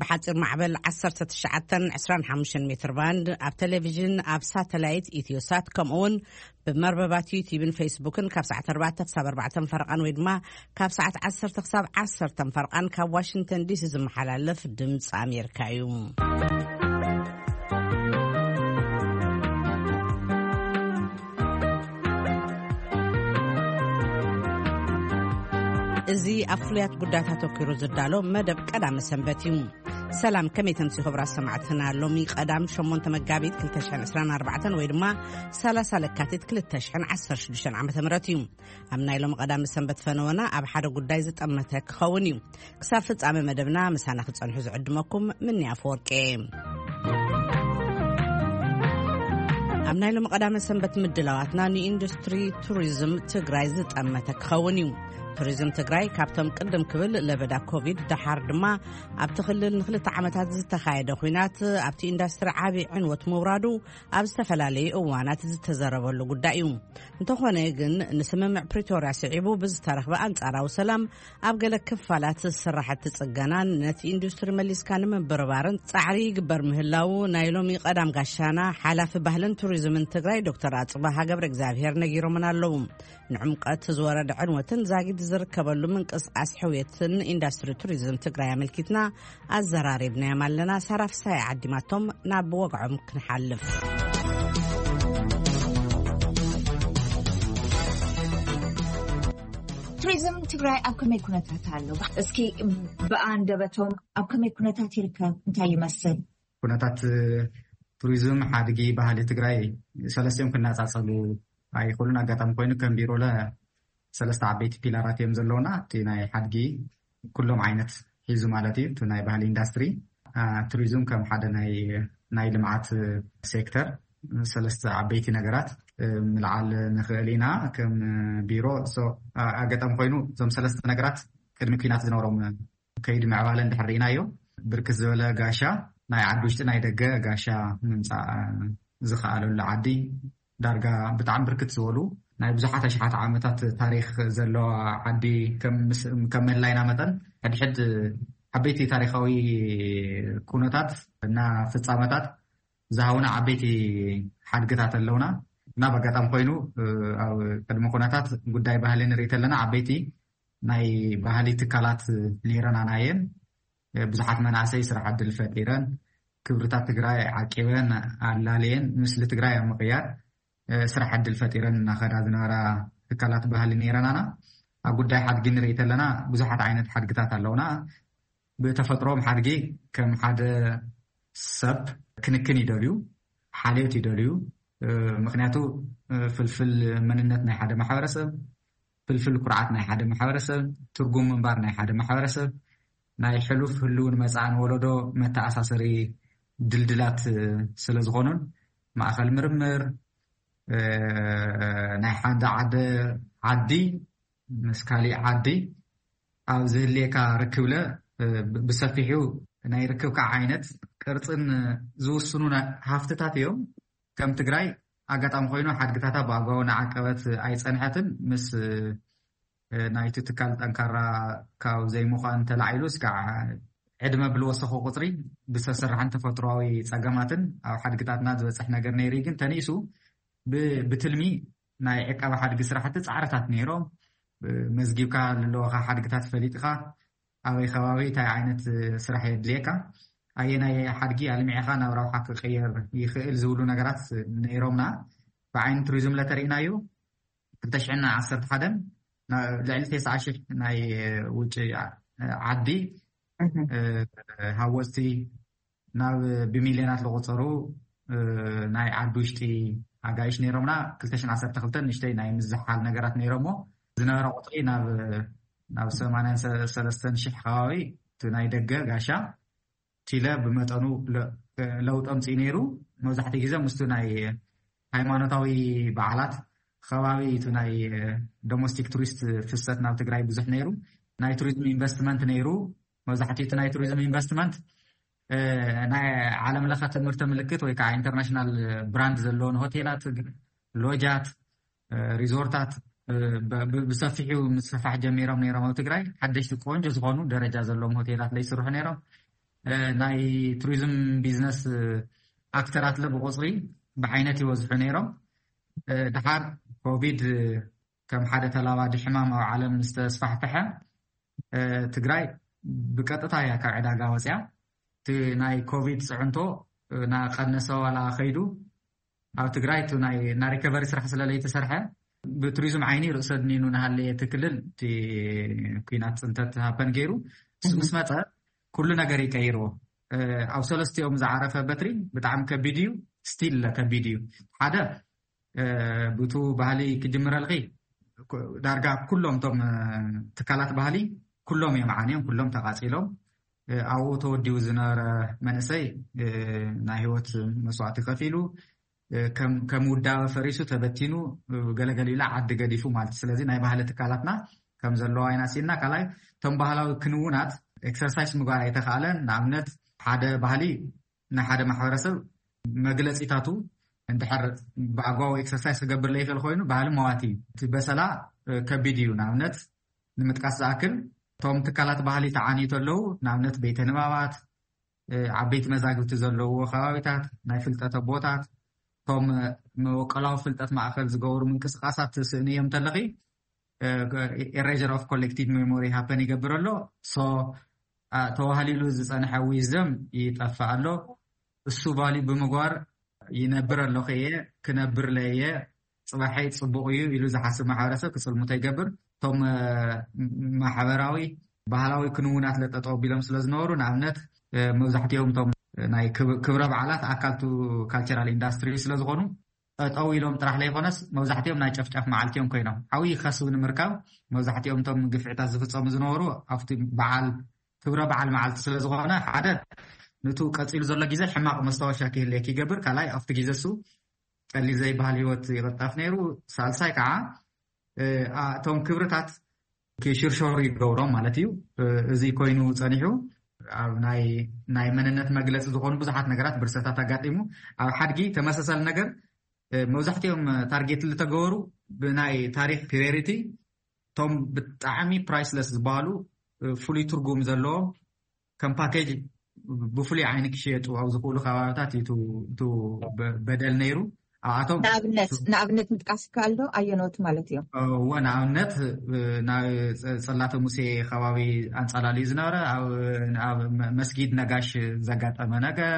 ብሓፂር ማዕበል ዓሰርተ ትሽዓተ ዕስራን ሓሙሽተን ሜትር ባንድ፣ ኣብ ቴሌቪዥን፣ ኣብ ሳተላይት ኢትዮሳት፣ ከምኡ እውን ብመርበባት ዩቲዩብን ፌስቡክን ካብ ሰዓት ኣርባዕተ ክሳብ ኣርባዕተ ፈረቓን ወይ ድማ ካብ ሰዓት ዓሰርተ ክሳብ ዓሰርተ ፈረቓን ካብ ዋሽንግተን ዲሲ ዝመሓላለፍ ድምፂ ኣሜሪካ እዩ። እዚ ኣብ ፍሉያት ጉዳያት ኣተኲሩ ዝዳሎ መደብ ቀዳመ ሰንበት እዩ። ሰላም፣ ከመይ ተምሲ ክቡራት ሰማዕትና? ሎሚ ቀዳም ሸሞንተ መጋቢት ክልተ ሽሕን ዕስራን ኣርባዕተን ወይ ድማ ሰላሳ ለካቲት ክልተ ሽሕን ዓሰርተ ሽዱሽተን ዓመተ ምህረት እዩ። ኣብ ናይ ሎሚ ቀዳመ ሰንበት ፈነወና ኣብ ሓደ ጉዳይ ዝጠመተ ክኸውን እዩ። ክሳብ ፍጻመ መደብና ምሳና ክጸንሑ ዝዕድመኩም ምኒ ኣፈወርቂ። ኣብ ናይ ሎሚ ቀዳመ ሰንበት ምድላዋትና ንኢንዱስትሪ ቱሪዝም ትግራይ ዝጠመተ ክኸውን እዩ። ቱሪዝም ትግራይ ካብቶም ቅድም ክብል ለበዳ ኮቪድ፣ ደሓር ድማ ኣብቲ ክልል ንክልተ ዓመታት ዝተኻየደ ኲናት ኣብቲ ኢንዱስትሪ ዓቢ ዕንወት ምውራዱ ኣብ ዝተፈላለዩ እዋናት ዝተዘረበሉ ጉዳይ እዩ። እንተኾነ ግን፣ ንስምምዕ ፕሪቶርያ ስዒቡ ብዝተረኽበ ኣንጻራዊ ሰላም፣ ኣብ ገለ ክፋላት ስራሕቲ ጽገናን ነቲ ኢንዱስትሪ መሊስካ ንምብርባርን ጻዕሪ ይግበር ምህላዉ ናይ ሎሚ ቀዳም ጋሻና ሓላፊ ባህልን ቱሪዝምን ትግራይ ዶክተር ኣጽብሃ ገብረ እግዚኣብሔር ነጊሮምና ኣለዉ። ንዕምቀት ዝወረደ ዕንወትን ዛጊድ ዝርከበሉ ምንቅስቃስ ሕውየትን ኢንዱስትሪ ቱሪዝም ትግራይ ኣመልኪትና ኣዘራሪብናዮም ኣለና። ሳራ ፍሳይ ዓዲማቶም ናብ ወግዖም ክንሓልፍ። ቱሪዝም ትግራይ ኣብ ከመይ ኩነታት ኣሎ? እስኪ ብኣንደበቶም ኣብ ከመይ ኩነታት ይርከብ? እንታይ ይመስል? ኩነታት ቱሪዝም ሓድጊ ባህሊ ትግራይ ሰለስቲኦም ክነፃፀሉ ኣይኽእሉን። ኣጋጣሚ ኮይኑ ከም ቢሮለ ሰለስተ ዓበይቲ ፒላራት እዮም ዘለውና። እቲ ናይ ሓድጊ ኩሎም ዓይነት ሒዙ ማለት እዩ። እቲ ናይ ባህሊ ኢንዳስትሪ፣ ቱሪዝም ከም ሓደ ናይ ናይ ልምዓት ሴክተር ሰለስተ ዓበይቲ ነገራት ምልዓል ንኽእል ኢና ከም ቢሮ። ኣጋጣሚ ኮይኑ እዞም ሰለስተ ነገራት ቅድሚ ኲናት ዝነበሮም ከይዲ ምዕባለ እንድሕር ርኢናዮ፣ ብርክት ዝበለ ጋሻ ናይ ዓዲ ውሽጢ ናይ ደገ ጋሻ ምምፃእ ዝኸኣለሉ ዓዲ፣ ዳርጋ ብጣዕሚ ብርክት ዝበሉ ናይ ብዙሓት ኣሽሓት ዓመታት ታሪክ ዘለዋ ዓዲ ከም ምስ- ከም ምህላይና መጠን፣ ሕድሕድ ዓበይቲ ታሪካዊ ኩነታት እና ፍፃመታት ዝሃቡና ዓበይቲ ሓድግታት ኣለውና። እና ብኣጋጣሚ ኮይኑ ኣብ ቅድሚ ኩነታት ጉዳይ ባህሊ ንርኢ ተለና ዓበይቲ ናይ ባህሊ ትካላት ነይረናና እየን። ብዙሓት መናእሰይ ስራሕ ዕድል ፈጢረን፣ ክብርታት ትግራይ ዓቂበን ኣላልየን፣ ምስሊ ትግራይ ኣብ ምቕያር ስራሕ ዕድል ፈጢረን እናኸዳ ዝነበራ ትካላት ባህሊ ነይረናና። ኣብ ጉዳይ ሓድጊ ንርኢ ተለና ብዙሓት ዓይነት ሓድግታት ኣለውና። ብተፈጥሮም ሓድጊ ከም ሓደ ሰብ ክንክን ይደልዩ፣ ሓልዮት ይደልዩ። ምክንያቱ ፍልፍል መንነት ናይ ሓደ ማሕበረሰብ፣ ፍልፍል ኩርዓት ናይ ሓደ ማሕበረሰብ፣ ትርጉም ምንባር ናይ ሓደ ማሕበረሰብ፣ ናይ ሕሉፍ ህልውን መጻእን ወለዶ መተኣሳሰሪ ድልድላት ስለ ዝኾኑን፣ ማእኸል ምርምር ናይ ሓደ ዓደ ዓዲ ምስ ካሊእ ዓዲ ኣብ ዝህልየካ ርክብለ ብሰፊሑ ናይ ርክብካ ዓይነት ቅርፅን ዝውስኑ ሃፍትታት እዮም። ከም ትግራይ ኣጋጣሚ ኮይኑ ሓድግታታ ብኣግባቡ እናዓቀበት ኣይፀንሐትን። ምስ ናይቲ ትካል ጠንካራ ካብ ዘይምዃን ተላዒሉ እስካዕ ዕድመ ብልወሰኹ ቁፅሪ ብሰብ ሰራሕን ተፈጥሮዊ ፀገማትን ኣብ ሓድግታትና ዝበፅሕ ነገር ነይሩ እዩ። ግን ተኒሱ ብ- ብትልሚ ናይ ዕቀባ ሓድጊ ስራሕቲ ፃዕርታት ነይሮም። መዝጊብካ ለለወኻ ሓድግታት ፈሊጥኻ ኣበይ ከባቢ እንታይ ዓይነት ስራሕ የድልየካ፣ ኣየናይ ሓድጊ ኣልሚዕኻ ናብ ረብሓ ክቀየር ይኽእል ዝብሉ ነገራት ነይሮምና። ብዓይኒ ቱሪዝም ለተርእናዩ ክልተ ሽሕን ዓሰርተ ሓደን ልዕሊ ተስዓ ሽሕ ናይ ውጭ ዓዲ ሃወፅቲ ናብ ብሚልዮናት ዝቑፀሩ ናይ ዓዲ ውሽጢ ኣጋይሽ ነይሮምና። ክልተ ሽሕን ዓሰርተ ክልተን ንእሽተይ ናይ ምዝሓል ነገራት ነይሮሞ ዝነበረ ቁፅሪ ናብ ናብ ሰማንያን ሰለስተን ሽሕ ከባቢ እቲ ናይ ደገ ጋሻ ቲለ ብመጠኑ ለውጢ ኣምፅኡ ነይሩ። መብዛሕትኡ ግዜ ምስቱ ናይ ሃይማኖታዊ በዓላት ከባቢ እቲ ናይ ዶሜስቲክ ቱሪስት ፍሰት ናብ ትግራይ ብዙሕ ነይሩ። ናይ ቱሪዝም ኢንቨስትመንት ነይሩ። መብዛሕትኡ እቲ ናይ ቱሪዝም ኢንቨስትመንት ናይ ዓለም ለኸ ትምህርቲ ምልክት ወይ ከዓ ኢንተርናሽናል ብራንድ ዘለዎን ሆቴላት፣ ሎጃት፣ ሪዞርታት ብሰፊሑ ምስፋሕ ጀሚሮም ነይሮም። ኣብ ትግራይ ሓደሽቲ ቆንጆ ዝኾኑ ደረጃ ዘለዎም ሆቴላት ለይስርሑ ነይሮም። ናይ ቱሪዝም ቢዝነስ ኣክተራት ለ ብቁፅሪ ብዓይነት ይበዝሑ ነይሮም። ድሓር ኮቪድ ከም ሓደ ተላባዲ ሕማም ኣብ ዓለም ዝተስፋሕፈሐ ትግራይ ብቀጥታ እያ ካብ ዕዳጋ ወፅያ። እቲ ናይ ኮቪድ ፅዕንቶ እናቀነሰ ዋላ ከይዱ ኣብ ትግራይ እቲ ናይ ሪከቨሪ ስራሕ ስለለይተሰርሐ ብቱሪዝም ዓይኒ ርእሰ ድኒኑ ናሃለየ እቲ ክልል እቲ ኩናት ፅንተት ሃፐን ገይሩ ምስ መፀ ኩሉ ነገር ይቀይርዎ። ኣብ ሰለስቲኦም ዝዓረፈ በትሪ ብጣዕሚ ከቢድ እዩ። ስቲል ከቢድ እዩ። ሓደ ብቱ ባህሊ ክጅምረልኺ ዳርጋ ኩሎም ቶም ትካላት ባህሊ ኩሎም እዮም ዓንዮም፣ ኩሎም ተቃፂሎም። ኣብኡ ተወዲቡ ዝነበረ መንእሰይ ናይ ህይወት መስዋእቲ ከፊሉ ከም ውዳበ ፈሪሱ ተበቲኑ ገለገሊላ ዓዲ ገዲፉ ማለት እዩ። ስለዚ ናይ ባህሊ ትካላትና ከም ዘለዋ ኢና ሲና ካልኣይ እቶም ባህላዊ ክንውናት ኤክሰርሳይስ ምግባር ኣይተኻእለን። ንኣብነት ሓደ ባህሊ ናይ ሓደ ማሕበረሰብ መግለፂታቱ እንድሕር ብኣግባቡ ኤክሰርሳይስ ክገብር ለይክእል ኮይኑ ባህሊ መዋቲ እዩ። እቲ በሰላ ከቢድ እዩ። ንኣብነት ንምጥቃስ ዝኣክል እቶም ትካላት ባህሊ ተዓንዩ ተለዉ ንኣብነት ቤተ ንባባት፣ ዓበይቲ መዛግብቲ ዘለዎ ከባቢታት፣ ናይ ፍልጠት ኣቦታት፣ እቶም መወቀላዊ ፍልጠት ማእከል ዝገብሩ ምንቅስቃሳት ትስእኒ እዮም ተለኺ ኤሬር ኦፍ ኮሌክቲቭ ሜሞሪ ሃፐን ይገብር ኣሎ። ተዋህሊሉ ዝፀንሐ ዊዝደም ይጠፍእ ኣሎ። እሱ ቫሊ ብምግባር ይነብር ኣለኹ እየ ክነብር ለየ ፅባሐይ ፅቡቕ እዩ ኢሉ ዝሓስብ ማሕበረሰብ ክፅልሙቶ ይገብር። እቶም ማሕበራዊ ባህላዊ ክንውናት ለጠጠው ቢሎም ስለዝነበሩ ንኣብነት መብዛሕትኦም እቶም ናይ ክብረ በዓላት ኣካልቱ ካልቸራል ኢንዳስትሪ ስለዝኾኑ ጠጠው ኢሎም ጥራሕ ለይኮነስ መብዛሕትኦም ናይ ጨፍጫፍ መዓልቲ እዮም ኮይኖም። ዓብዪ ከስቢ ንምርካብ መብዛሕትኦም እቶም ግፍዕታት ዝፍፀሙ ዝነበሩ ኣብቲ በዓል ክብረ በዓል መዓልቲ ስለዝኾነ ሓደ ንቱ ቀፂሉ ዘሎ ግዜ ሕማቕ መስታወሻ ክህልየክ ይገብር። ካልኣይ ኣብቲ ግዜ እሱ ቀሊል ዘይበሃል ህይወት ይቕጠፍ ነይሩ። ሳልሳይ ከዓ እቶም ክብርታት ክሽርሸሩ ይገብሮም ማለት እዩ። እዚ ኮይኑ ፀኒሑ ኣብ ናይ መንነት መግለፂ ዝኾኑ ብዙሓት ነገራት ብርሰታት ኣጋጢሙ ኣብ ሓድጊ ተመሳሳሊ ነገር መብዛሕትኦም ታርጌት ዝተገበሩ ብናይ ታሪክ ፕሪዮሪቲ እቶም ብጣዕሚ ፕራይስለስ ዝበሃሉ ፍሉይ ትርጉም ዘለዎም ከም ፓኬጅ ብፍሉይ ዓይኒ ክሽየጡ ኣብ ዝኽእሉ ከባቢታት እዩ በደል ነይሩ። ኣብኣቶም ንኣብነት ንኣብነት ምጥቃስ ይከኣል ዶ? ኣየኖት ማለት እዮም? እወ ንኣብነት ናብ ፅላተ ሙሴ ከባቢ ኣንፃላልዩ ዝነበረ ኣብ መስጊድ ነጋሽ ዘጋጠመ ነገር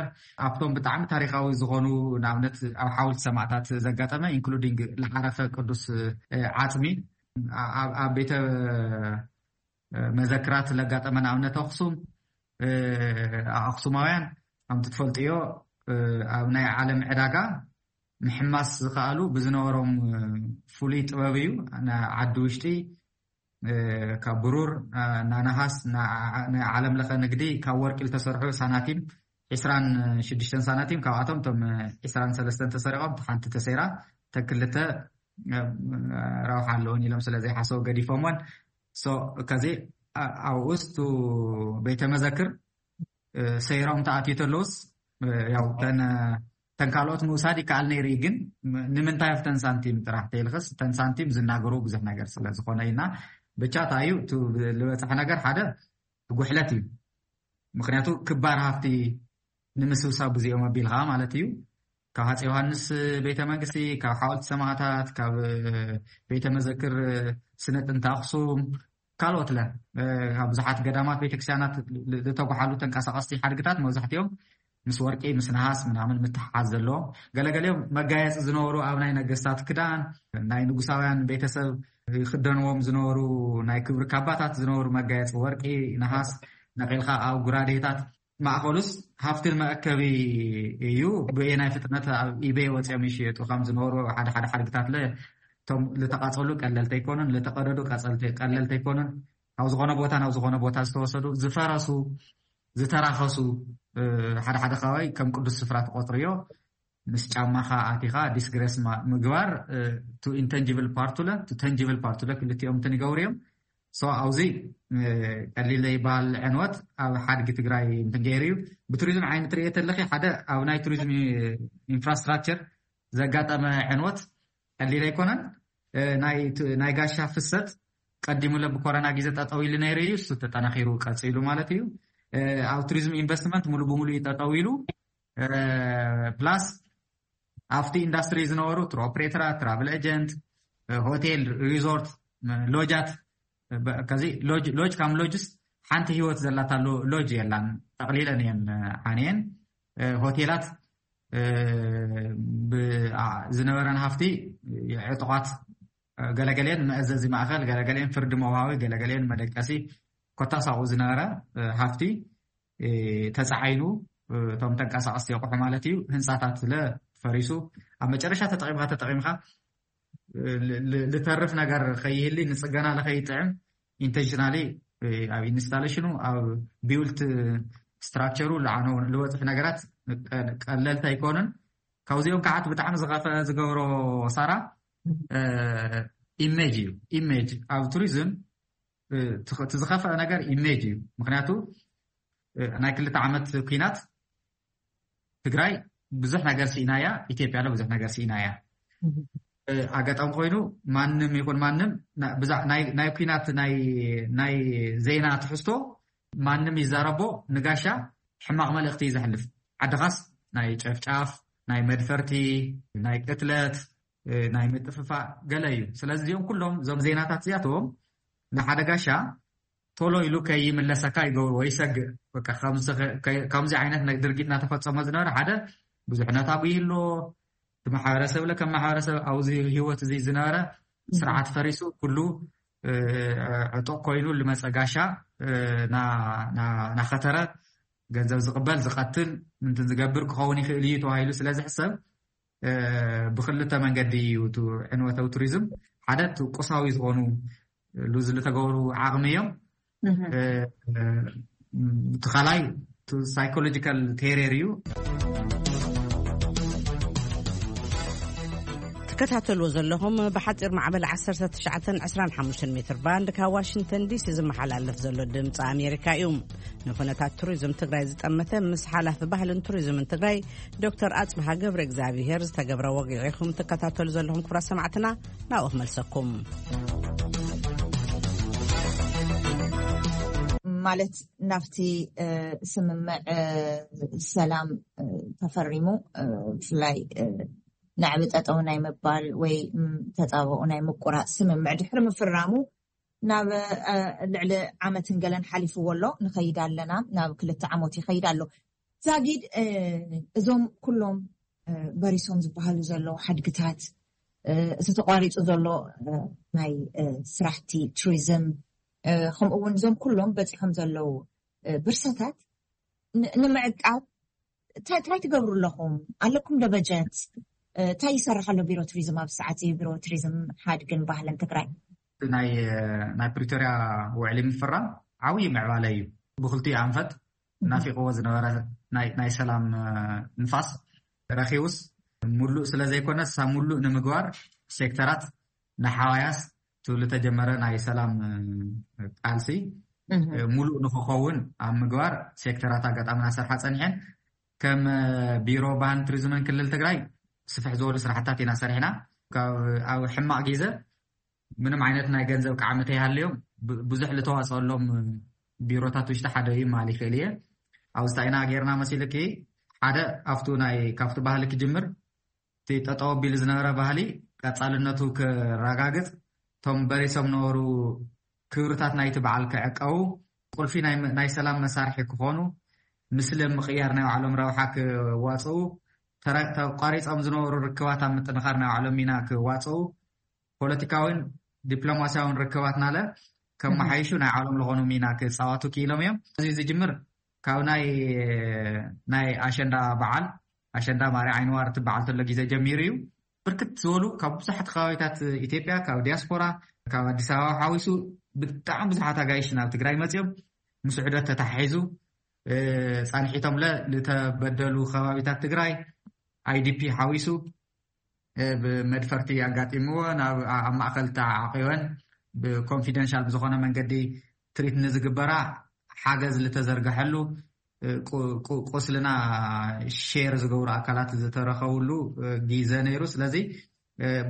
ኣብቶም ብጣዕሚ ታሪካዊ ዝኾኑ ንኣብነት ኣብ ሓወልቲ ሰማእታት ዘጋጠመ ኢንክሉዲንግ ዝዓረፈ ቅዱስ ዓፅሚ ኣብ ቤተ መዘክራት ለጋጠመ ንኣብነት ኣክሱም ኣክሱማውያን ከምቲ ትፈልጥዮ ኣብ ናይ ዓለም ዕዳጋ ምሕማስ ዝኸኣሉ ብዝነበሮም ፍሉይ ጥበብ እዩ። ዓዲ ውሽጢ ካብ ብሩር ናነሃስ ናይ ዓለም ለኸ ንግዲ ካብ ወርቂ ዝተሰርሑ ሳናቲም ዕስራን ሽዱሽተን ሳናቲም ካብኣቶም እቶም ዕስራን ሰለስተን ተሰሪቖም ሓንቲ ተሰይራ ተክልተ ረብሓ ኣለውን ኢሎም ስለዘይሓሰቡ ገዲፎምዎን ከዚ ኣብኡስቱ ቤተ መዘክር ሰይሮም ተኣትዩ ተለውስ ያው ተን ካልኦት ምውሳድ ይከኣል ነይሩ እዩ ግን ንምንታይ ኣብተን ሳንቲም ጥራሕ ተይልክስ ተን ሳንቲም ዝናገሩ ብዙሕ ነገር ስለዝኾነ ኢና ብቻ ታዩ ልበፅሐ ነገር ሓደ ጉሕለት እዩ። ምክንያቱ ክባር ሃፍቲ ንምስብሳብ ብዙኦም ኣቢልካ ማለት እዩ። ካብ ሃፀ ዮሃንስ ቤተ መንግስቲ ካብ ሓወልቲ ሰማእታት ካብ ቤተ መዘክር ስነ ጥንቲ ኣክሱም ካልኦት ለ ካብ ብዙሓት ገዳማት ቤተክርስትያናት ዝተጓሓሉ ተንቀሳቀስቲ ሓድግታት መብዛሕትኦም ምስ ወርቂ ምስ ነሃስ ምናምን ምትሓሓዝ ዘለዎም ገለገሊኦም መጋየፂ ዝነበሩ ኣብ ናይ ነገስታት ክዳን ናይ ንጉሳውያን ቤተሰብ ይክደንዎም ዝነበሩ ናይ ክብሪ ካባታት ዝነበሩ መጋየፂ ወርቂ ነሃስ ነቂልካ ኣብ ጉራዴታት ማእኸሉስ ሃፍቲ መእከቢ እዩ። ብየናይ ፍጥነት ኣብ ኢቤይ ወፂኦም ይሽየጡ ከም ዝነበሩ ሓደ ሓደ ሓድግታት ለ እቶም ዝተቃፀሉ ቀለልቲ ኣይኮኑን፣ ዝተቀደዱ ቀለልቲ ኣይኮኑን። ካብ ዝኾነ ቦታ ናብ ዝኾነ ቦታ ዝተወሰዱ ዝፈረሱ ዝተራኸሱ ሓደ ሓደ ከባቢ ከም ቅዱስ ስፍራ ትቆፅርዮ ምስ ጫማኻ ኣቲኻ ዲስግረስ ምግባር ቱ ኢንተንጂብል ፓርቱለ ቱ ተንጂብል ፓርቱለ ክልቲኦም እንትን ይገብሩ እዮም። ሶ ኣብዚ ቀሊል ዘይበሃል ዕንወት ኣብ ሓድጊ ትግራይ እንትን ገይሩ እዩ። ብቱሪዝም ዓይኒ ትሪኦ ተለኺ ሓደ ኣብ ናይ ቱሪዝም ኢንፍራስትራክቸር ዘጋጠመ ዕንወት ቀሊል ኣይኮነን። ናይ ጋሻ ፍሰት ቀዲሙ ለ ብኮረና ግዜ ጠጠው ኢሉ ነይሩ እዩ። እሱ ተጠናኺሩ ቀፂሉ ማለት እዩ። ኣብ ቱሪዝም ኢንቨስትመንት ሙሉ ብሙሉ እዩ ጠጠው ኢሉ። ፕላስ ኣብቲ ኢንዳስትሪ ዝነበሩ ቱር ኦፕሬተራት፣ ትራቭል ኤጀንት፣ ሆቴል፣ ሪዞርት፣ ሎጃት፣ ከዚ ሎጅ ከም ሎጅስ ሓንቲ ህይወት ዘላታ ሎጅ የላን። ጠቕሊለን እየን ሓንየን። ሆቴላት ዝነበረን ሃፍቲ ዕጡቓት፣ ገለገሌን መእዘዚ ማእኸል፣ ገለገሌን ፍርዲ መውሃዊ፣ ገለገሌን መደቀሲ፣ ኮታሳቑ ዝነበረ ሃፍቲ ተፃዓይኑ፣ እቶም ተንቀሳቐስቲ ኣቑሑ ማለት እዩ፣ ህንፃታት ስለ ፈሪሱ፣ ኣብ መጨረሻ ተጠቂምካ ተጠቂምካ ልተርፍ ነገር ከይህሊ፣ ንፅገና ለኸይጥዕም ኢንቴንሽናሊ ኣብ ኢንስታሌሽኑ፣ ኣብ ቢውልት ስትራክቸሩ ልዓነው ልወፅፍ ነገራት ቀለልቲ ኣይኮኑን። ካብዚኦም ከዓት ብጣዕሚ ዝኸፈ ዝገብሮ ሳራ ኢሜጅ እዩ። ኢሜጅ ኣብ ቱሪዝም እቲ ዝኸፈአ ነገር ኢሜጅ እዩ። ምክንያቱ ናይ ክልተ ዓመት ኩናት ትግራይ ብዙሕ ነገር ስኢናያ፣ ኢትዮጵያ ለ ብዙሕ ነገር ስኢናያ። ኣጋጣሚ ኮይኑ ማንም ይኹን ማንም ናይ ኩናት ናይ ዜና ትሕዝቶ ማንም ይዛረቦ ንጋሻ ሕማቕ መልእኽቲ እዩ ዘሕልፍ። ዓድኻስ ናይ ጨፍጫፍ፣ ናይ መድፈርቲ፣ ናይ ቅትለት፣ ናይ ምጥፍፋእ ገለ እዩ። ስለዚ እዚኦም ኩሎም እዞም ዜናታት እዚኣቶም ንሓደ ጋሻ ቶሎ ኢሉ ከይምለሰካ ይገብርዎ፣ ይሰግእ። ከምዚ ዓይነት ድርጊት እናተፈፀመ ዝነበረ ሓደ ብዙሕ ነታጉ ይህልዎ። እቲ ማሕበረሰብ ለ ከም ማሕበረሰብ ኣብዚ ህይወት እዚ ዝነበረ ስርዓት ፈሪሱ ኩሉ ዕጡቕ ኮይኑ ልመፀ ጋሻ ናኸተረ ገንዘብ ዝቕበል ዝቐትል ምንትን ዝገብር ክኸውን ይኽእል እዩ ተባሂሉ ስለ ዝሕሰብ ብክልተ መንገዲ እዩ እቲ ዕንወታዊ ቱሪዝም። ሓደ እቲ ቁሳዊ ዝኾኑ ሉዝ ልተገብሩ ዓቕሚ እዮም። እቲ ካልኣይ ሳይኮሎጂካል ቴሬር እዩ። ትከታተልዎ ዘለኹም ብሓፂር ማዕበል ዓሰርተ ትሽዓተን ዕስራን ሓሙሽተን ሜትር ባንድ ካብ ዋሽንግተን ዲሲ ዝመሓላለፍ ዘሎ ድምፂ ኣሜሪካ እዩ። ንኩነታት ቱሪዝም ትግራይ ዝጠመተ ምስ ሓላፊ ባህልን ቱሪዝምን ትግራይ ዶክተር ኣፅብሃ ገብረ እግዚኣብሔር ዝተገብረ ወግዒ ኢኹም ትከታተሉ ዘለኹም። ክቡራት ሰማዕትና፣ ናብኡ ክመልሰኩም። ማለት ናብቲ ስምምዕ ሰላም ተፈሪሙ፣ ብፍላይ ናዕቢ ጠጠው ናይ ምባል ወይ ተፃብኦ ናይ ምቁራፅ ስምምዕ ድሕሪ ምፍራሙ ናብ ልዕሊ ዓመትን ገለን ሓሊፍዎ ኣሎ። ንኸይድ ኣለና፣ ናብ ክልተ ዓመት ይኸይድ ኣሎ። ዛጊድ እዞም ኩሎም በሪሶም ዝበሃሉ ዘለዉ ሓድግታት፣ እቲ ተቋሪፁ ዘሎ ናይ ስራሕቲ ቱሪዝም፣ ከምኡ እውን እዞም ኩሎም በፂሖም ዘለዉ ብርሰታት ንምዕቃብ እንታይ ትገብሩ ኣለኹም? ኣለኩም ዶ በጀት? እንታይ ይሰርሕ ኣሎ ቢሮ ቱሪዝም ኣብ ሰዓት እዚ? ቢሮ ቱሪዝም ሓድግን ባህልን ትግራይ ናይ ፕሪቶርያ ውዕሊ ምፍራም ዓብዪ ምዕባለ እዩ። ብክልቲኡ ኣንፈት ናፊቕዎ ዝነበረ ናይ ሰላም ንፋስ ረኺቡስ፣ ሙሉእ ስለ ዘይኮነስ ሳብ ሙሉእ ንምግባር ሴክተራት ንሓዋያስ ትብሉ ተጀመረ ናይ ሰላም ቃልሲ ሙሉእ ንክኸውን ኣብ ምግባር ሴክተራት ኣጋጣሚ እናሰርሓ ፀኒሐን። ከም ቢሮ ባህልን ቱሪዝምን ክልል ትግራይ ስፍሕ ዝበሉ ስራሕታት ኢና ሰሪሕና። ኣብ ሕማቕ ግዜ ምንም ዓይነት ናይ ገንዘብ ቃዕሚ ተይሃለዮም ብዙሕ ልተዋፀሎም ቢሮታት ውሽጢ ሓደ እዩ ማል ይኽእል እየ። ኣብ ስታይና ጌርና መሲልኪ ሓደ ኣብቱ ናይ ካብቲ ባህሊ ክጅምር እቲ ጠጠው ኣቢሉ ዝነበረ ባህሊ ቀፃልነቱ ክረጋግፅ፣ እቶም በሪሶም ነበሩ ክብርታት ናይቲ በዓል ክዕቀቡ፣ ቁልፊ ናይ ሰላም መሳርሒ ክኾኑ፣ ምስሊ ምቕያር ናይ ባዕሎም ረብሓ ክዋፅኡ፣ ተቋሪፆም ዝነበሩ ርክባት ኣብ ምጥንኻር ናይ ባዕሎም ሚና ክዋፅኡ፣ ፖለቲካዊን ዲፕሎማሲያውን ርክባትናለ ከመሓይሹ ናይ ባዕሎም ዝኾኑ ሚና ክፃዋቱ ክኢሎም እዮም። እዚ ዝጅምር ካብ ናይ ናይ ኣሸንዳ በዓል ኣሸንዳ ማርያ ዓይንዋር ትበዓል ተሎ ግዜ ጀሚሩ እዩ። ብርክት ዝበሉ ካብ ብዙሓት ከባቢታት ኢትዮጵያ፣ ካብ ዲያስፖራ፣ ካብ ኣዲስ ኣበባ ሓዊሱ ብጣዕሚ ብዙሓት ኣጋይሽ ናብ ትግራይ መፅዮም ምስ ዑደት ተተሓሒዙ ፃንሒቶምለ ዝተበደሉ ከባቢታት ትግራይ ኣይዲፒ ሓዊሱ ብመድፈርቲ ኣጋጢምዎ ናብ ኣብ ማእከል ተዓቂበን ብኮንፊደንሻል ብዝኾነ መንገዲ ትሪት ንዝግበራ ሓገዝ ዝተዘርገሐሉ ቁስልና ሼር ዝገብሩ ኣካላት ዝተረኸብሉ ግዜ ነይሩ። ስለዚ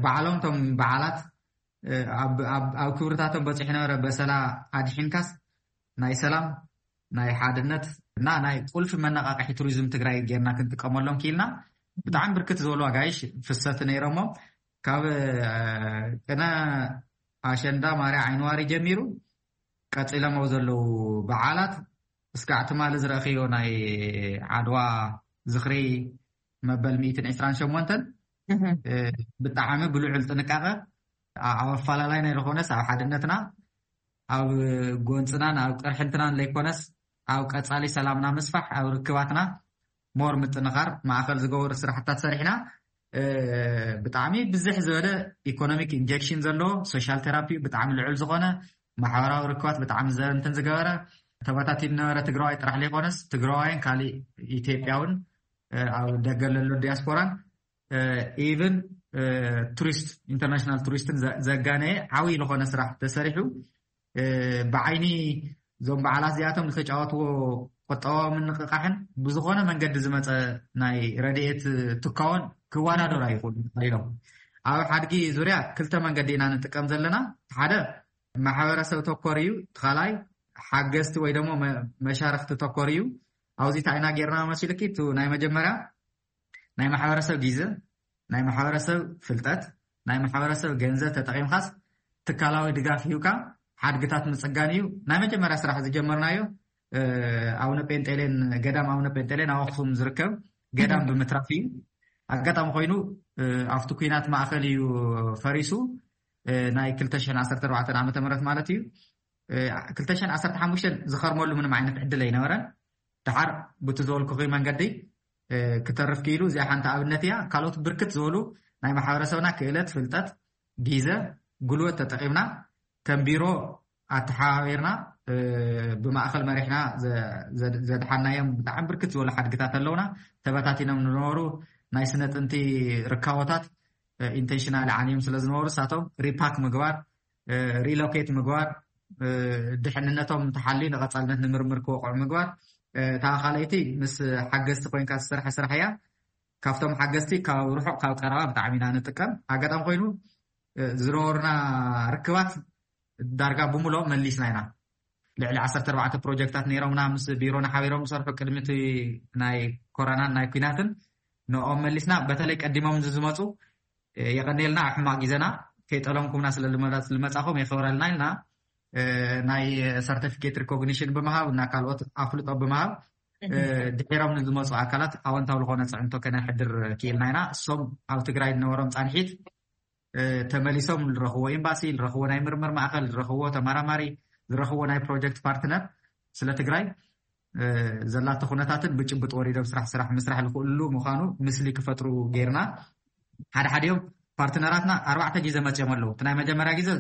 ባዕሎም ቶም በዓላት ኣብ ክብርታቶም በፂሑ ነበረ በሰላ ኣድሒንካስ ናይ ሰላም ናይ ሓድነት እና ናይ ቁልፊ መነቃቅሒ ቱሪዝም ትግራይ ጌርና ክንጥቀመሎም ክኢልና። ብጣዕሚ ብርክት ዝበሉ ኣጋይሽ ፍሰት ነይሮሞ ካብ ቅነ ኣሸንዳ ማርያ ዓይንዋሪ ጀሚሩ ቀፂሎም ኣብ ዘለዉ በዓላት እስካዕ ትማሊ ዝረእኽዮ ናይ ዓድዋ ዝኽሪ መበል ሚእትን ዕስራን ሸሞንተን ብጣዕሚ ብልዑል ጥንቃቐ ኣብ ኣፈላላይና ይኾነስ ኣብ ሓድነትና ኣብ ጎንፅናን ኣብ ቅርሕንትናን ለይኮነስ ኣብ ቀፃሊ ሰላምና ምስፋሕ ኣብ ርክባትና ሞር ምጥንኻር ማእኸል ዝገበሩ ስራሕታት ሰሪሕና። ብጣዕሚ ብዝሕ ዝበለ ኢኮኖሚክ ኢንጀክሽን ዘለዎ ሶሻል ቴራፒ ብጣዕሚ ልዑል ዝኾነ ማሕበራዊ ርክባት ብጣዕሚ ዘንትን ዝገበረ ተበታቲን ነበረ ትግራዋይ ጥራሕ ዘይኮነስ ትግራዋይን ካሊእ ኢትዮጵያውን ኣብ ደገ ለሎ ዲያስፖራን ኢቨን ቱሪስት ኢንተርናሽናል ቱሪስትን ዘጋነየ ዓብይ ዝኾነ ስራሕ ተሰሪሑ ብዓይኒ እዞም በዓላት እዚኣቶም ዝተጫወትዎ ቁጠባዊ ምንቕቃሕን ብዝኾነ መንገዲ ዝመፀ ናይ ረድኤት ትካዎን ክወዳደሩ ኣይኽእሉ ኢሎም። ኣብ ሓድጊ ዙርያ ክልተ መንገዲ ኢና ንጥቀም ዘለና። ሓደ ማሕበረሰብ ተኮር እዩ። ካልኣይ ሓገዝቲ ወይ ደግሞ መሻርክቲ ተኮር እዩ። ኣብዚ እንታይ ኢና ጌርና መሲልኪ? ናይ መጀመርያ ናይ ማሕበረሰብ ግዘ፣ ናይ ማሕበረሰብ ፍልጠት፣ ናይ ማሕበረሰብ ገንዘብ ተጠቒምካስ ትካላዊ ድጋፍ ሂብካ ሓድግታት ምፅጋን እዩ። ናይ መጀመርያ ስራሕ ዝጀመርናዮ ኣቡነ ጴንጤሌን፣ ገዳም ኣቡነ ጴንጤሌን ኣብ ኣክሱም ዝርከብ ገዳም ብምትራፍ እዩ። ኣጋጣሚ ኮይኑ ኣብቲ ኩናት ማእኸል እዩ ፈሪሱ። ናይ ክልተ ሽሕን ዓሰርተ ኣርባዕተን ዓመተ ምህረት ማለት እዩ። ክልተ ሽሕን ዓሰርተ ሓሙሽተን ዝኸርመሉ ምንም ዓይነት ዕድል ኣይነበረን። ደሓር ብቲ ዝበልኩኺ መንገዲ ክተርፍ ክኢሉ እዚኣ ሓንቲ ኣብነት እያ። ካልኦት ብርክት ዝበሉ ናይ ማሕበረሰብና ክእለት፣ ፍልጠት፣ ግዘ፣ ጉልበት ተጠቒምና ከም ቢሮ ኣተሓባቢርና ብማእኸል መሪሕና ዘድሓናዮም ብጣዕሚ ብርክት ዝበሉ ሓድግታት ኣለውና። ተበታቲኖም ዝነበሩ ናይ ስነ ጥንቲ ርካቦታት ኢንቴንሽናል ዓንዮም ስለ ዝነበሩ እሳቶም ሪፓክ ምግባር፣ ሪሎኬት ምግባር፣ ድሕንነቶም ተሓልዩ ንቐፃልነት ንምርምር ክወቕዑ ምግባር። እታ ካልኣይቲ ምስ ሓገዝቲ ኮይንካ ዝሰርሐ ስራሕ እያ። ካብቶም ሓገዝቲ ካብ ርሑቕ ካብ ቀረባ ብጣዕሚ ኢና ንጥቀም። ኣጋጣሚ ኮይኑ ዝነበሩና ርክባት ዳርጋ ብምልኦም መሊስና ኢና። ልዕሊ ዓሰርተ ኣርባዕተ ፕሮጀክታት ነይሮምና ምስ ቢሮና ሓቢሮም ዝሰርሑ ቅድሚ እቲ ናይ ኮረናን ናይ ኩናትን ንኦም መሊስና። በተለይ ቀዲሞም ዝመፁ የቐንየልና ኣብ ሕማቕ ግዜና ከይጠለምኩምና ስለ ዝመፃኹም የኽብረልና ኢልና ናይ ሰርቲፊኬት ሪኮግኒሽን ብምሃብ እና ካልኦት ኣፍልጦ ብምሃብ ድሒሮም ንዝመፁ ኣካላት ኣወንታዊ ዝኾነ ፅዕንቶ ከነሕድር ክኢልና ኢና። እሶም ኣብ ትግራይ ዝነበሮም ፃንሒት ተመሊሶም ዝረኽቦ ኤምባሲ፣ ዝረኽቦ ናይ ምርምር ማእኸል፣ ዝረኽቦ ተመራማሪ፣ ዝረኽቦ ናይ ፕሮጀክት ፓርትነር ስለ ትግራይ ዘላቶ ኩነታትን ብጭቡጥ ወሪዶም ስራሕ ስራሕ ምስራሕ ዝኽእሉ ምዃኑ ምስሊ ክፈጥሩ ጌርና። ሓደ ሓዲኦም ፓርትነራትና ኣርባዕተ ግዜ መፅኦም ኣለዉ። እቲ ናይ መጀመርያ ግዜ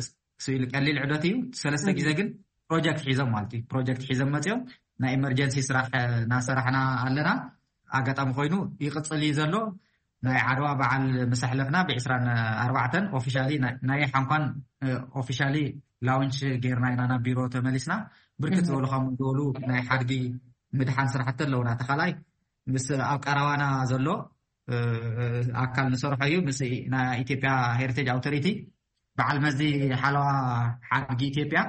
ስኢሉ ቀሊል ዕደት እዩ። ሰለስተ ግዜ ግን ፕሮጀክት ሒዞም ማለት እዩ። ፕሮጀክት ሒዞም መፅኦም ናይ ኢመርጀንሲ ስራሕ እናሰራሕና ኣለና። ኣጋጣሚ ኮይኑ ይቕፅል እዩ ዘሎ። ናይ ዓድዋ በዓል ምስ ኣሕለፍና ብዕስራን ኣርባዕተን ኦፊሻሊ ናይ ሓንኳን ኦፊሻሊ ላውንች ጌርና ኢና ናብ ቢሮ ተመሊስና። ብርክት ዝበሉ ካብ ዝበሉ ናይ ሓድጊ ምድሓን ስራሕቲ ኣለውና። ተኻላይ ምስ ኣብ ቀረባና ዘሎ ኣካል ንሰርሖ እዩ። ምስ ናይ ኢትዮጵያ ሄሪቴጅ ኣውቶሪቲ በዓል መዚ ሓለዋ ሓድጊ ኢትዮጵያ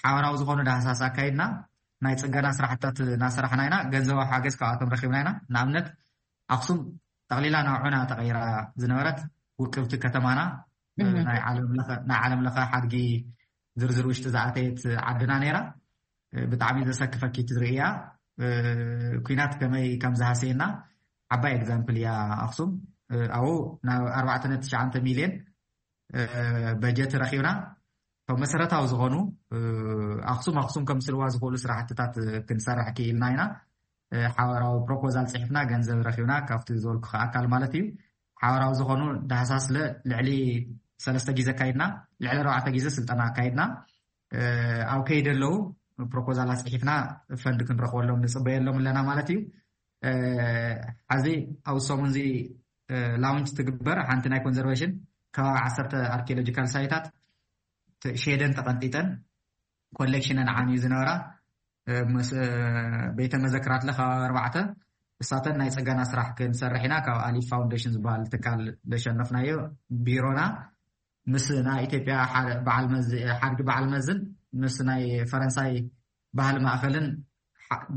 ሓበራዊ ዝኾኑ ዳህሳስ ኣካይድና ናይ ፅገና ስራሕታት እናሰራሕና ኢና። ገንዘባዊ ሓገዝ ካብኣቶም ረኪብና ኢና። ንኣብነት ኣክሱም ጠቕሊላ ናብ ዑና ተቐይራ ዝነበረት ውቅብቲ ከተማና ናይ ዓለም ለኸ ሓድጊ ዝርዝር ውሽጢ ዝኣተየት ዓድና ነይራ። ብጣዕሚ ዘሰክፈኪ ትርእያ ኩናት ከመይ ከም ዝሃሰየና ዓባይ ኤግዛምፕል እያ ኣክሱም። ኣብኡ ናብ ኣርባዕተ ነጥቢ ትሽዓተ ሚልዮን በጀት ረኪብና። ካብ መሰረታዊ ዝኾኑ ኣክሱም ኣክሱም ከምስልዋ ዝኽእሉ ስራሕትታት ክንሰርሕ ክኢልና ኢና። ሓበራዊ ፕሮፖዛል ፅሒፍና ገንዘብ ረኪብና ካብቲ ዝበልኩ ኣካል ማለት እዩ። ሓበራዊ ዝኾኑ ዳህሳስ ልዕሊ ሰለስተ ግዜ ኣካይድና፣ ልዕሊ ኣርባዕተ ግዜ ስልጠና ኣካይድና። ኣብ ከይዲ ኣለዉ ፕሮፖዛል ኣፅሒፍና ፈንድ ክንረክበሎም ንፅበየሎም ኣለና ማለት እዩ። ሕዚ ኣብ ሰሙን እዚ ላውንች ትግበር ሓንቲ ናይ ኮንዘርቬሽን ከባቢ ዓሰርተ ኣርኪኦሎጂካል ሳይታት ሸደን ተቐንጢጠን ኮሌክሽነን ዓንዩ ዝነበራ ቤተ መዘክራት ለከባቢ ኣርባዕተ እሳተን ናይ ፅገና ስራሕ ክንሰርሕ ኢና። ካብ ኣሊፍ ፋውንዴሽን ዝበሃል ትካል ለሸነፍናዮ ቢሮና ምስ ናይ ኢትዮጵያ በዓል መዚ ሓድጊ በዓል መዝን ምስ ናይ ፈረንሳይ ባህሊ ማእኸልን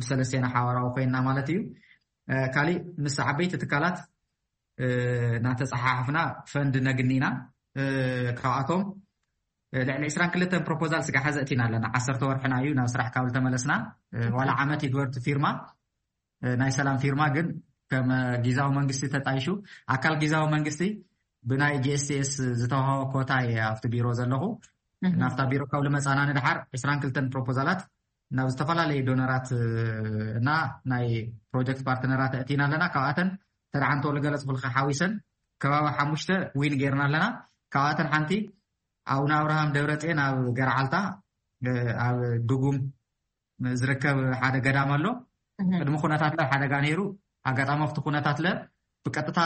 ብሰለስቴና ሓዋራዊ ኮይና ማለት እዩ። ካሊእ ምስ ዓበይቲ ትካላት እናተፀሓሓፍና ፈንድ ነግኒ ኢና። ካብኣቶም ልዕሊ ዕስራን ክልተን ፕሮፖዛል ስጋሓ ዘእቲና ኣለና። ዓሰርተ ወርሕና እዩ ናብ ስራሕ ካብ ዝተመለስና። ዋላ ዓመት ይግበር እቲ ፊርማ፣ ናይ ሰላም ፊርማ ግን ከም ጊዛዊ መንግስቲ ተጣይሹ፣ ኣካል ጊዛዊ መንግስቲ ብናይ ጂ ኤስ ቲ ኤስ ዝተዋሃቦ ኮታ እየ ኣብቲ ቢሮ ዘለኹ። ናብታ ቢሮ ካብ ልመፃና ንድሓር ዕስራን ክልተን ፕሮፖዛላት ናብ ዝተፈላለዩ ዶነራት እና ናይ ፕሮጀክት ፓርትነራት ኣእቲና ኣለና። ካብኣተን ተደሓንቶ ልገለፅኩልካ ሓዊሰን ከባቢ ሓሙሽተ ዊን ጌርና ኣለና። ካብኣተን ሓንቲ ኣቡነ ኣብርሃም ደብረፅዮን ኣብ ገርዓልታ ኣብ ድጉም ዝርከብ ሓደ ገዳም ኣሎ። ቅድሚ ኩነታት ለ ሓደጋ ነይሩ። ኣጋጣሚ ኣብቲ ኩነታት ለ ብቀጥታ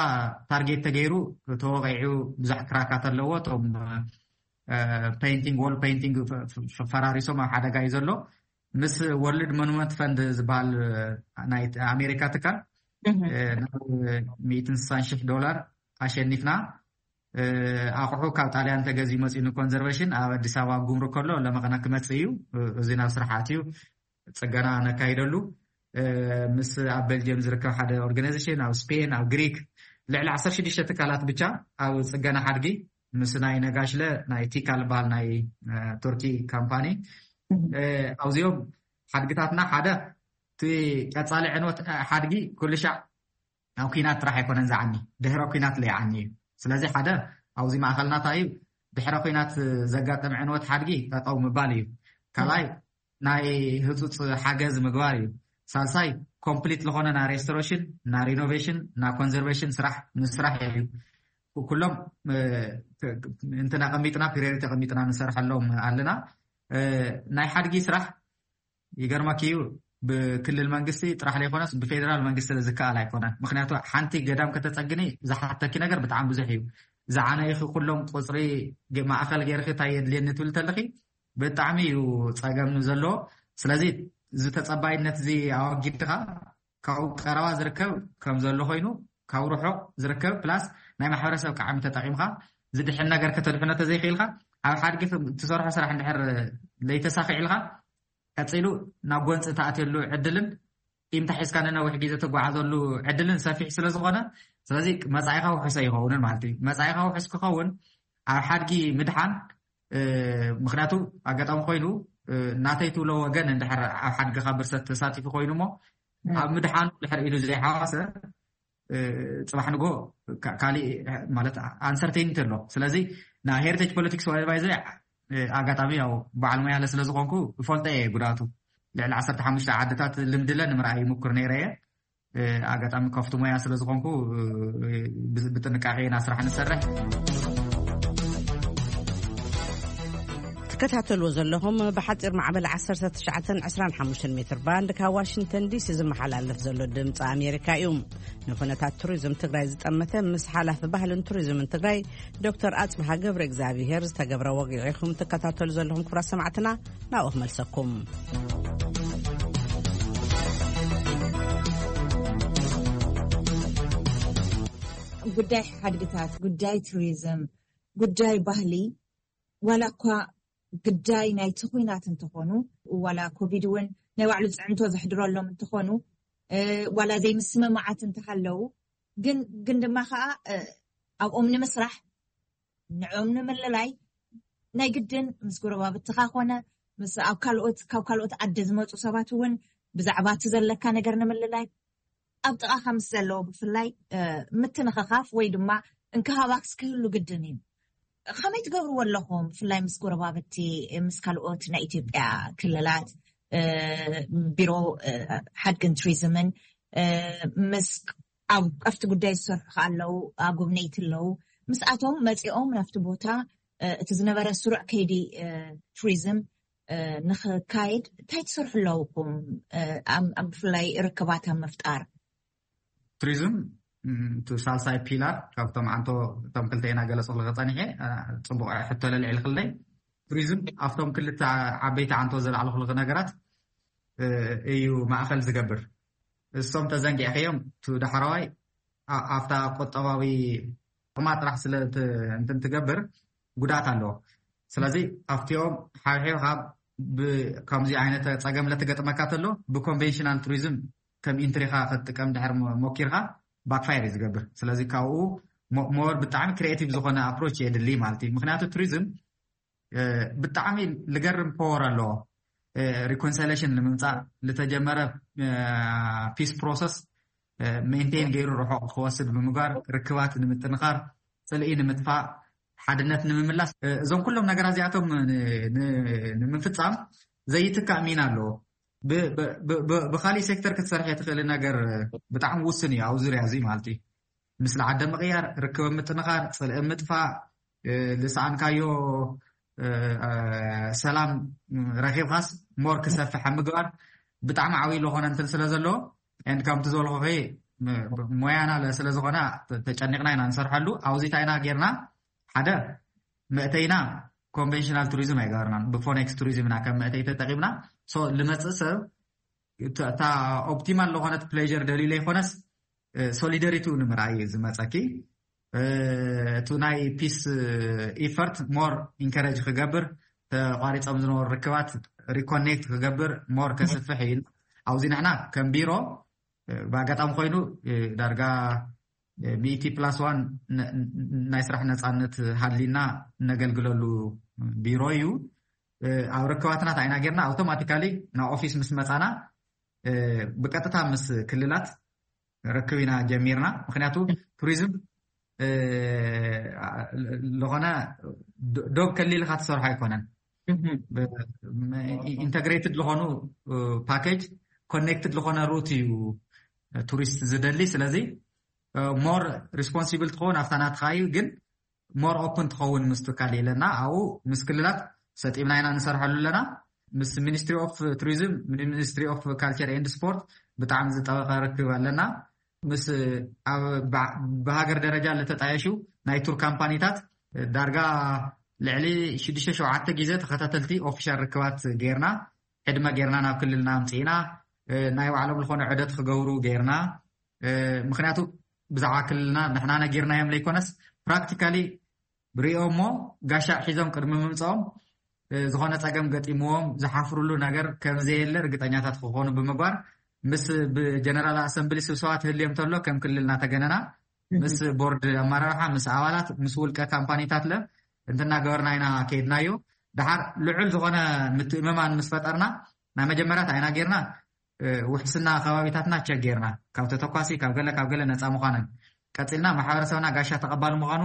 ታርጌት ተገይሩ ተወቂዑ። ብዙሕ ክራካት ኣለዎ። እቶም ፔይንቲንግ፣ ዎል ፔይንቲንግ ፈራሪሶም ኣብ ሓደጋ እዩ ዘሎ። ምስ ወርልድ ሞኑመንት ፈንድ ዝበሃል ናይ ኣሜሪካ ትካል ናብ ሚእትን ስሳን ሽሕ ዶላር ኣሸኒፍና። ኣቑሑ ካብ ጣልያን ተገዚኡ መፅኡ ንኮንዘርቬሽን ኣብ ኣዲስ ኣበባ ጉምሩክ ከሎ ለመቐና ክመፅእ እዩ። እዚ ናብ ስራሕ ኣትዩ ፅገና ነካይደሉ። ምስ ኣብ ቤልጅየም ዝርከብ ሓደ ኦርጋናይዜሽን፣ ኣብ ስፔን፣ ኣብ ግሪክ ልዕሊ ዓሰርተ ሽዱሽተ ትካላት ብቻ ኣብ ፅገና ሓድጊ ምስ ናይ ነጋሽለ ናይ ቲካል በሃል ናይ ቱርኪ ካምፓኒ ኣብዚኦም ሓድግታትና ሓደ እቲ ቀፃሊ ዕንወት ሓድጊ ኩሉ ሻዕ ኣብ ኲናት ጥራሕ ኣይኮነን ዝዓኒ፣ ድሕረ ኲናት ለይዓኒ እዩ። ስለዚ ሓደ ኣብዚ ማእኸልናታ እዩ ድሕረ ኲናት ዘጋጥም ዕንወት ሓድጊ ጠጠው ምባል እዩ። ካልኣይ ናይ ህፁፅ ሓገዝ ምግባር እዩ። ሳልሳይ ኮምፕሊት ዝኾነ ናይ ሬስቶሬሽን፣ ናይ ሪኖቬሽን፣ ናይ ኮንዘርቬሽን ስራሕ ምስራሕ እዩ። ኩሎም እንትን ኣቐሚጥና ፕሪዮሪቲ ኣቐሚጥና ንሰርሐሎም ኣለና። ናይ ሓድጊ ስራሕ ይገርመኪ እዩ፣ ብክልል መንግስቲ ጥራሕ ዘይኮነስ ብፌደራል መንግስቲ ዝከኣል ኣይኮነን። ምክንያቱ ሓንቲ ገዳም ከተፀግኒ ዝሓተኪ ነገር ብጣዕሚ ብዙሕ እዩ። ዝዓነይኺ ኩሎም ቁፅሪ ማእኸል ገይርኪ እንታይ የድልየኒ ትብል ተለኺ ብጣዕሚ እዩ ፀገም ዘለዎ። ስለዚ እዚ ተፀባይነት እዚ ኣወጊድካ ካብኡ ቀረባ ዝርከብ ከም ዘሎ ኮይኑ ካብ ርሑቕ ዝርከብ ፕላስ ናይ ማሕበረሰብ ቃዕሚ ተጠቒምካ ዝድሕን ነገር ከተድሕኖ ተዘይክኢልካ ኣብ ሓድጊ ትሰርሖ ስራሕ እንድሕር ለይተሳኺዕልካ ቀፂሉ ናብ ጎንፂ ተኣትየሉ ዕድልን ኢምታ ሒዝካ ንነዊሕ ግዜ ትጓዓዘሉ ዕድልን ሰፊሕ ስለ ዝኾነ ስለዚ መፃኢኻ ውሑሰ ይኸውንን ማለት እዩ። መፃኢኻ ውሑስ ክኸውን ኣብ ሓድጊ ምድሓን ምክንያቱ ኣጋጣሚ ኮይኑ ናተይ ትብሎ ወገን እንድሕር ኣብ ሓድግኻ ብርሰት ተሳቲፉ ኮይኑ እሞ ኣብ ምድሓኑ ድሕር ኢሉ ዘይሓዋሰ ፅባሕ ንጎ ካሊእ ማለት ኣንሰርቴኒቲ ኣሎ። ስለዚ ናይ ሄሪቴጅ ፖለቲክስ ወደባይ ዘ ኣጋጣሚ ያው በዓል ሙያለ ስለ ዝኾንኩ እፈልጦ እየ ጉዳቱ። ልዕሊ ዓሰርተ ሓሙሽተ ዓድታት ልምድለ ንምርኣይ ይምኩር ነይረ እየ። ኣጋጣሚ ከፍቲ ሞያ ስለ ዝኾንኩ ብጥንቃቄ ኢና ስራሕ ንሰርሕ። ትከታተልዎ ዘለኹም ብሓፂር ማዕበል ዓሰርተ ትሽዓተን ዕስራን ሓሙሽተን ሜትር ባንድ ካብ ዋሽንግተን ዲሲ ዝመሓላለፍ ዘሎ ድምፂ ኣሜሪካ እዩ። ንኩነታት ቱሪዝም ትግራይ ዝጠመተ ምስ ሓላፊ ባህልን ቱሪዝምን ትግራይ ዶክተር ኣፅብሃ ገብረ እግዚኣብሄር ዝተገብረ ወግዒ ኢኹም ትከታተሉ ዘለኹም። ክቡራት ሰማዕትና ናብኡ ክመልሰኩም። ጉዳይ ሓድግታት፣ ጉዳይ ቱሪዝም፣ ጉዳይ ባህሊ ዋላ እኳ ግዳይ ናይቲ ኩናት እንተኾኑ ዋላ ኮቪድ እውን ናይ ባዕሉ ፅዕንቶ ዘሕድረሎም እንተኾኑ ዋላ ዘይምስምማዓት እንተሃለዉ ግን ግን ድማ ከዓ ኣብኦም ንምስራሕ ንዕኦም ንምልላይ ናይ ግድን ምስ ጎረባብትኻ ኮነ ምስ ኣብ ካልኦት ካብ ካልኦት ዓዲ ዝመፁ ሰባት እውን ብዛዕባ እቲ ዘለካ ነገር ንምልላይ ኣብ ጥቓኻ ምስ ዘለዉ ብፍላይ ምትንኽኻፍ ወይ ድማ እንክሃባክስ ክህሉ ግድን እዩ። ከመይ ትገብርዎ ኣለኹም ብፍላይ ምስ ጎረባብቲ ምስ ካልኦት ናይ ኢትዮጵያ ክልላት ቢሮ ሓድግን ቱሪዝምን ምስ ኣብ ኣብቲ ጉዳይ ዝሰርሑ ከ ኣለዉ ኣጎብነይቲ ኣለዉ ምስኣቶም መፂኦም ናብቲ ቦታ እቲ ዝነበረ ስሩዕ ከይዲ ቱሪዝም ንክካየድ እንታይ ትሰርሑ ኣለውኩም? ብፍላይ ርክባት ኣብ ምፍጣር ቱሪዝም እቲ ሳልሳይ ፒላር ካብቶም ዓንቶ እቶም ክልተ ኢና ገለፅኩልኺ ፀኒሐ ፅቡቅ ሕቶ ለልዕልክለይ። ቱሪዝም ኣብቶም ክልተ ዓበይቲ ዓንቶ ዘላዕልኩልኺ ነገራት እዩ ማእኸል ዝገብር። እሶም ተዘንጊዕኸዮም እቲ ዳሕረዋይ ኣብታ ቁጠባዊ ጥቕማ ጥራሕ ስለ እንትን ትገብር ጉድኣት ኣለዎ። ስለዚ ኣብቲኦም ሓብሒብካ ብከምዚ ዓይነት ጸገም ለተገጥመካ ተሎ ብኮንቬንሽናል ቱሪዝም ከም ኢንትሪኻ ክትጥቀም ድሕር ሞ- ሞኪርካ ባክፋየር እዩ ዝገብር። ስለዚ ካብኡ ሞ- ሞር ብጣዕሚ ክሪኤቲቭ ዝኾነ ኣፕሮች የድሊ ማለት እዩ። ምክንያቱ ቱሪዝም እ፣ ብጣዕሚ ልገርም ፖወር ኣለዎ። ሪኮንሳይሌሽን ንምምፃእ ልተጀመረ ፒስ ፕሮሰስ ሜንቴን ገይሩ ርሑቕ ክወስድ ብምግባር፣ ርክባት ንምጥንኻር፣ ፅልኢ ንምጥፋእ፣ ሓድነት ንምምላስ፣ እ፣ እዞም ኩሎም ነገራት እዚኣቶም ን- ን- ንምፍፃም ዘይትካእ ሚና ኣለዎ። ብ- ብ- ብ- ብ- ብካሊእ ሴክተር ክትሰርሕ የትኽእል ነገር ብጣዕሚ ውስን እዩ ኣብ ዙርያ እዚ ማለት እዩ። ምስሊ ዓደ ምቕያር፣ ርክብ ምጥንኻር፣ ፅልኢ ምጥፋእ፣ እ፣ ልሰኣንካዮ እ፣ እ፣ ሰላም ረኺብካስ ሞር ክሰፍሕ ኣብ ምግባር ብጣዕሚ ዓብዪ ዝኾነ እንትን ስለ ዘለዎ፣ ኤንድ ከምቲ ዝበልኩኺ ም- ሞያና ለ- ስለ ዝኾነ ተ- ተጨኒቕና ኢና ንሰርሐሉ። ኣብዚ እንታይ ኢና ጌርና? ሓደ መእተይና ኮንቬንሽናል ቱሪዝም ኣይገበርናን፣ ብፎኔክስ ቱሪዝም ኢና ከም መእተይ ተጠቂምና። ሶ ልመፅእ ሰብ እታ እታ ኦፕቲማል ዝኾነት ፕሌር ደልዩ ዘይኮነስ ሶሊደሪቲ ንምርኣይ እዩ ዝመፀኪ። እቲ ናይ ፒስ ኢፈርት ሞር ኢንከረጅ ክገብር፣ ተቋሪፆም ዝነበሩ ርክባት ሪኮኔክት ክገብር፣ ሞር ከስፍሕ እዩ። ኣብዚ ንሕና ከም ቢሮ ብኣጋጣሚ ኮይኑ ዳርጋ ሚእቲ ፕላስ ዋን ናይ ስራሕ ነፃነት ሃሊና እነገልግለሉ ቢሮ እዩ። ኣብ ርክባትና እንታይ ኢና ጌርና? ኣውቶማቲካሊ ናብ ኦፊስ ምስ መፃና ብቀጥታ ምስ ክልላት ርክብ ኢና ጀሚርና። ምክንያቱ ቱሪዝም ዝኾነ ዶብ ከሊልካ ትሰርሖ ኣይኮነን። ኢንተግሬትድ ዝኾኑ ፓኬጅ፣ ኮኔክትድ ዝኾነ ሩት እዩ ቱሪስት ዝደሊ። ስለዚ ሞር ሪስፖንሲብል ትኸውን ኣብታ ናትካ እዩ፣ ግን ሞር ኦፕን ትኸውን ምስ ትካል ኢለና ኣብኡ ምስ ክልላት ሰጢምና ኢና ንሰርሐሉ ኣለና። ምስ ሚኒስትሪ ኦፍ ቱሪዝም፣ ሚኒስትሪ ኦፍ ካልቸር ኤንድ ስፖርት ብጣዕሚ ዝጠበቀ ርክብ ኣለና። ምስ ኣብ ብሃገር ደረጃ ለተጣየሹ ናይ ቱር ካምፓኒታት ዳርጋ ልዕሊ ሽዱሽተ ሸውዓተ ግዜ ተኸታተልቲ ኦፊሻል ርክባት ጌርና፣ ዕድመ ጌርና ናብ ክልልና ኣምፅእና፣ ናይ ባዕሎም ዝኾነ ዑደት ክገብሩ ጌርና። ምክንያቱ ብዛዕባ ክልልና ንሕና ነጊርናዮም ዘይኮነስ ፕራክቲካሊ ሪኦ እሞ ጋሻ ሒዞም ቅድሚ ምምፅኦም ዝኾነ ፀገም ገጢምዎም ዝሓፍሩሉ ነገር ከም ዘየለ ርግጠኛታት ክኾኑ ብምግባር ምስ ብጀነራል ኣሰምብሊ ስብሰባ ትህልዮም ተሎ ከም ክልል እናተገነና ምስ ቦርድ ኣመራርሓ፣ ምስ ኣባላት፣ ምስ ውልቀ ካምፓኒታት ለ እንትናገበርና ኢና ከይድናዮ። ድሓር ልዑል ዝኾነ ምትእምማን ምስ ፈጠርና ናይ መጀመርያ እንታይ ኢና ጌርና? ውሕስና ከባቢታትና ቸክ ጌርና ካብ ተተኳሲ ካብ ገለ ካብ ገለ ነፃ ምዃነን ቀፂልና ማሕበረሰብና ጋሻ ተቐባሊ ምዃኑ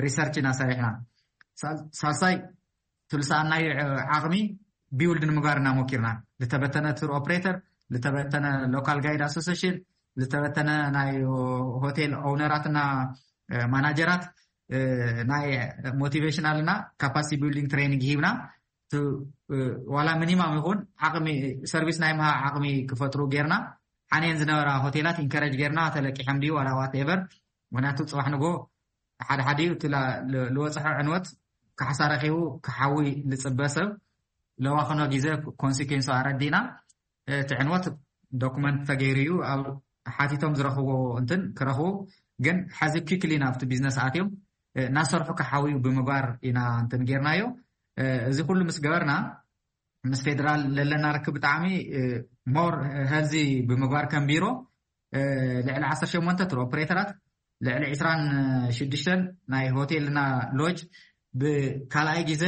ሪሰርች ኢና ሰሪሕና። ሳልሳይ ትልሰኣናዩ ዓቕሚ ቢውልድ ንምግባር እና ሞኪርና። ዝተበተነ ቱር ኦፕሬተር፣ ዝተበተነ ሎካል ጋይድ ኣሶሲሽን፣ ዝተበተነ ናይ ሆቴል ኦውነራትና ማናጀራት ናይ ሞቲቬሽናልና ካፓሲቲ ቢልዲንግ ትሬኒንግ ሂብና። ዋላ ሚኒማም ይኹን ዓቕሚ ሰርቪስ ናይ ምሃብ ዓቕሚ ክፈጥሩ ጌርና። ሓንየን ዝነበራ ሆቴላት ኢንከረጅ ጌርና፣ ተለቂሐም ድዩ ዋላ ዋት ኤቨር። ምክንያቱ ፅባሕ ንጎ ሓደ ሓደ እዩ እቲ ዝወፅሐ ዕንወት ካሕሳ ረኪቡ ክሓዊ ዝፅበ ሰብ ለዋክኖ ግዜ ኮንሲኩንሱ ኣረዲና። እቲ ዕንወት ዶኩመንት ተገይሩ እዩ ኣብ ሓቲቶም ዝረኽቦ እንትን ክረኽቡ። ግን ሓዚ ኪክሊ ናብቲ ቢዝነስ ኣትዮም እናሰርሑ ክሓውዩ ብምግባር ኢና እንትን ጌርናዮ። እዚ ኩሉ ምስ ገበርና ምስ ፌደራል ለለና ርክብ ብጣዕሚ ሞር ሄልዚ ብምግባር ከም ቢሮ ልዕሊ ዓሰርተ ሸሞንተ ቱር ኦፕሬተራት፣ ልዕሊ ዕስራን ሽዱሽተን ናይ ሆቴልና ሎጅ ብካልኣይ ግዜ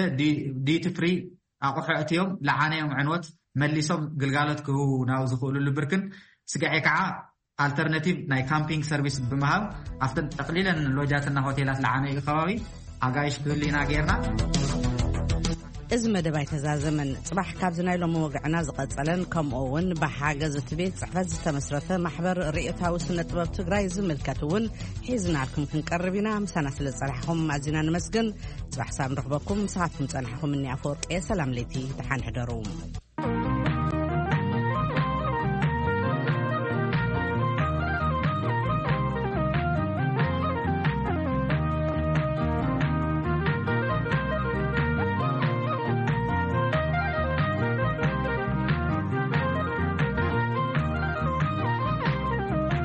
ዲቲ ፍሪ ኣቑሑ እትዮም ለዓነዮም ዕንወት መሊሶም ግልጋሎት ክህቡ ናብ ዝኽእሉሉ ብርክን ስጋዔ ከዓ ኣልተርናቲቭ ናይ ካምፒንግ ሰርቪስ ብምሃብ ኣብተን ጠቕሊለን ሎጃትና ሆቴላት ለዓነዩ ከባቢ ኣጋይሽ ክህሉ ኢና ጌርና። እዚ መደብ ኣይተዛዘመን። ጽባሕ ካብዚ ናይ ሎሚ ወግዕና ዝቐጸለን ከምኡ እውን ብሓገዝ እቲ ቤት ጽሕፈት ዝተመስረተ ማሕበር ርእዮታዊ ስነ ጥበብ ትግራይ ዝምልከት እውን ሒዝናልኩም ክንቀርብ ኢና። ምሳና ስለ ዝጸናሕኹም ኣዚና ንመስግን። ጽባሕ ሳብ ንረኽበኩም። ምሳኻትኩም ጸናሕኹም እኒ ኣፈወርቂ። ሰላም ለይቲ፣ ደሓን ሕደሩ።